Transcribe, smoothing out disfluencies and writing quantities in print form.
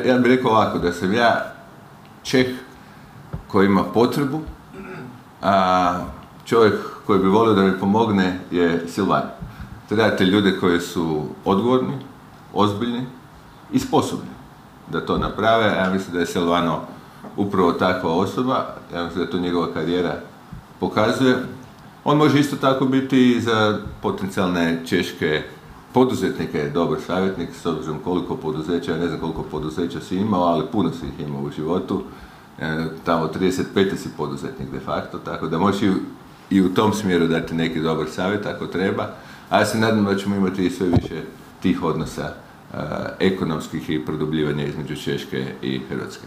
ja bih rekao ovako, da sam ja Čeh koji ima potrebu, a čovjek koji bi volio da mi pomogne je Silvan. Trebate ljude koji su odgovorni, ozbiljni i sposobni da to naprave. Ja mislim da je Silvano upravo takva osoba, ja mislim da to njegova karijera pokazuje. On može isto tako biti i za potencijalne češke poduzetnike dobar savjetnik, s obzirom koliko poduzeća, ja ne znam koliko poduzeća si imao, ali puno si ih imao u životu. Tamo 35. si poduzetnik de facto, tako da možeš i u tom smjeru dati neki dobar savjet ako treba. A ja se nadam da ćemo imati i sve više tih odnosa ekonomskih i produbljivanja između Češke i Hrvatske.